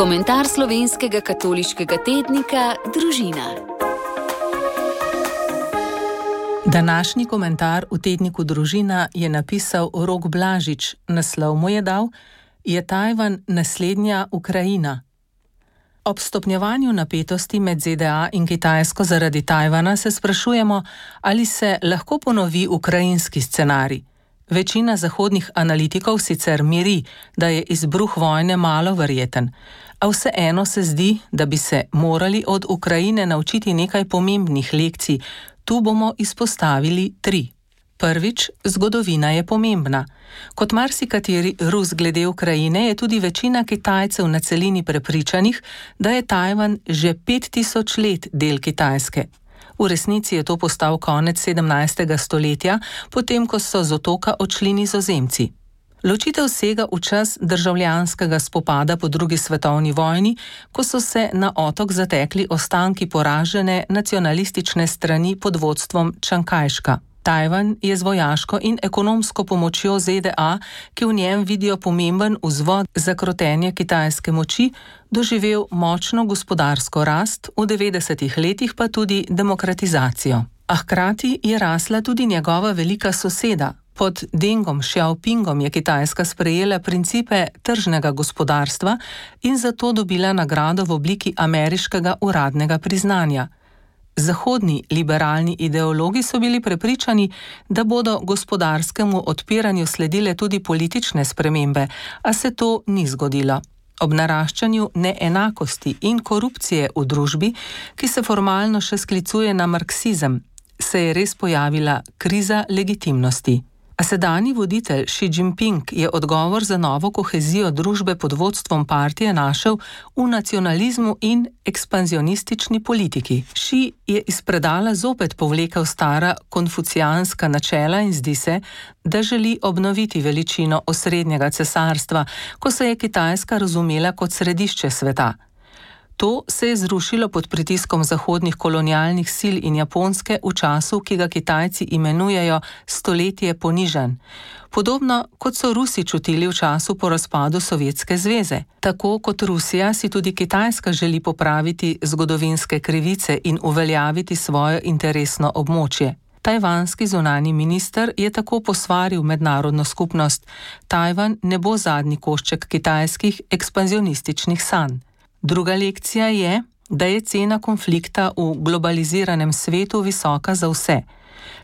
Komentar slovenskega katoliškega tednika Družina. Današnji komentar v tedniku Družina je napisal Rok Blažič. Naslov mu je dal: Je Tajvan naslednja Ukrajina? Ob stopnjevanju napetosti med ZDA in Kitajsko zaradi Tajvana se sprašujemo, ali se lahko ponovi ukrajinski scenarij. Večina zahodnih analitikov sicer miri, da je izbruh vojne malo verjeten, a vseeno se zdi, da bi se morali od Ukrajine naučiti nekaj pomembnih lekcij. Tu bomo izpostavili 3. Prvič, zgodovina je pomembna. Kot marsikateri Rus glede Ukrajine je tudi večina Kitajcev na celini prepričanih, da je Tajvan že 5000 let del Kitajske. V resnici je to postal konec 17. stoletja, potem ko so z otoka odšli Nizozemci. Ločitev sega v čas državljanskega spopada po drugi svetovni vojni, ko so se na otok zatekli ostanki poražene nacionalistične strani pod vodstvom Čankajška. Tajvan je z vojaško in ekonomsko pomočjo ZDA, ki v njem vidijo pomemben vzvod za krotenje kitajske moči, doživel močno gospodarsko rast, v 90. letih pa tudi demokratizacijo. A hkrati je rasla tudi njegova velika soseda. Pod Dengom Xiaopingom je Kitajska sprejela principe tržnega gospodarstva in zato dobila nagrado v obliki ameriškega uradnega priznanja. Zahodni liberalni ideologi so bili prepričani, da bodo gospodarskemu odpiranju sledile tudi politične spremembe, a se to ni zgodilo. Ob naraščanju neenakosti in korupcije v družbi, ki se formalno še sklicuje na marksizem, se je res pojavila kriza legitimnosti. A sedanji voditelj Xi Jinping je odgovor za novo kohezijo družbe pod vodstvom partije našel v nacionalizmu in ekspanzionistični politiki. Xi je iz predala zopet povlekel stara konfucijanska načela in zdi se, da želi obnoviti veličino osrednjega cesarstva, ko se je Kitajska razumela kot središče sveta. To se je zrušilo pod pritiskom zahodnih kolonialnih sil in Japonske v času, ki ga Kitajci imenujejo stoletje ponižanj. Podobno kot so Rusi čutili v času po razpadu Sovjetske zveze. Tako kot Rusija si tudi Kitajska želi popraviti zgodovinske krivice in uveljaviti svoje interesno območje. Tajvanski zunanji minister je tako posvaril mednarodno skupnost: Tajvan ne bo zadnji košček kitajskih ekspanzionističnih sanj. Druga lekcija je, da je cena konflikta v globaliziranem svetu visoka za vse.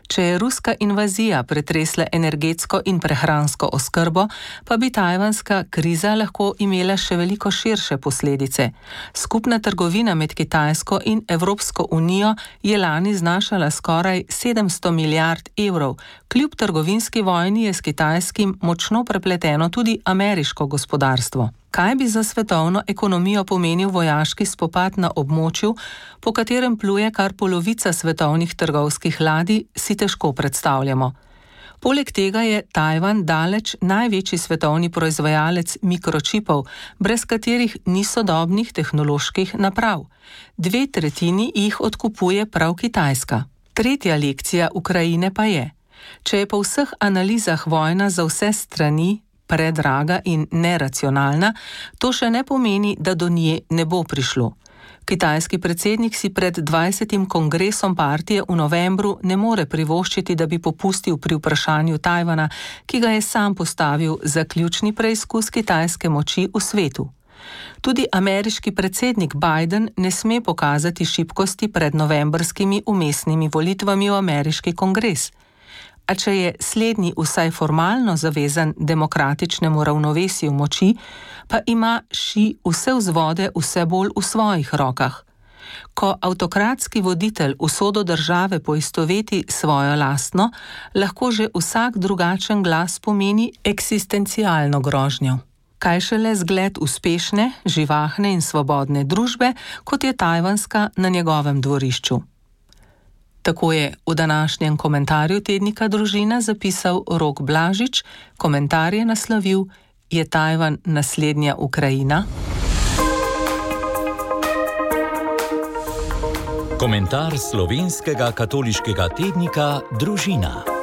Če je ruska invazija pretresla energetsko in prehransko oskrbo, pa bi tajvanska kriza lahko imela še veliko širše posledice. Skupna trgovina med Kitajsko in Evropsko unijo je lani znašala skoraj 700 milijard evrov. Kljub trgovinski vojni je s kitajskim močno prepleteno tudi ameriško gospodarstvo. Kaj bi za svetovno ekonomijo pomenil vojaški spopad na območju, po katerem pluje kar polovica svetovnih trgovskih ladij, si težko predstavljamo. Poleg tega je Tajvan daleč največji svetovni proizvajalec mikročipov, brez katerih ni sodobnih tehnoloških naprav. 2/3 jih odkupuje prav Kitajska. Tretja lekcija Ukrajine pa je: če je po vseh analizah vojna za vse strani predraga in neracionalna, to še ne pomeni, da do nje ne bo prišlo. Kitajski predsednik si pred 20. kongresom partije v novembru ne more privoščiti, da bi popustil pri vprašanju Tajvana, ki ga je sam postavil za ključni preizkus kitajske moči v svetu. Tudi ameriški predsednik Biden ne sme pokazati šibkosti pred novembrskimi vmesnimi volitvami v ameriški kongres. A če je slednji vsaj formalno zavezan demokratičnemu ravnovesju moči, pa ima Xi vse vzvode vse bolj v svojih rokah. Ko avtokratski voditelj usodo države poistoveti svojo lastno, lahko že vsak drugačen glas pomeni eksistencialno grožnjo. Kaj šele zgled uspešne, živahne in svobodne družbe, kot je tajvanska na njegovem dvorišču. Tako je v današnjem komentarju tednika Družina zapisal Rok Blažič. Komentar je naslovil: Je Tajvan naslednja Ukrajina? Komentar slovenskega katoliškega tednika Družina.